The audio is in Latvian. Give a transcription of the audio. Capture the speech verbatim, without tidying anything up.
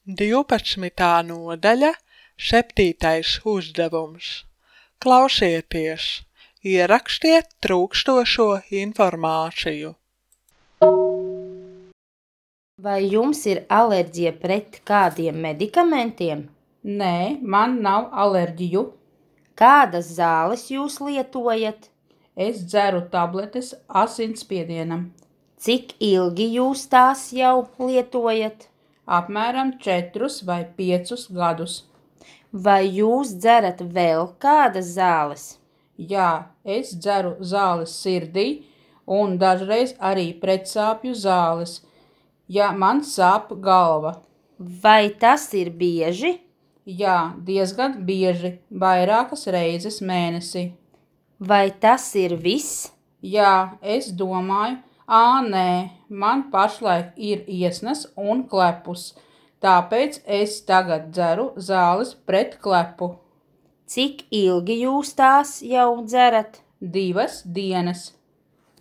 Divpadsmitā nodaļa, septītais uzdevums. Klausieties, ierakstiet trūkstošo informāciju. Vai jums ir alerģija pret kādiem medikamentiem? Nē, man nav alerģiju. Kādas zāles jūs lietojat? Es dzeru tabletes asinsspiedienam. Cik ilgi jūs tās jau lietojat? Apmēram četrus vai piecus gadus. Vai jūs dzerat vēl kādas zāles? Jā, es dzeru zāles sirdī un dažreiz arī pretsāpju zāles, ja man sāp galva. Vai tas ir bieži? Jā, diezgan bieži, vairākas reizes mēnesī. Vai tas ir viss? Jā, es domāju, ā, nē, man pašlaik ir iesnas un klepus, tāpēc es tagad dzeru zāles pret klepu. Cik ilgi jūs tās jau dzerat? Divas dienas.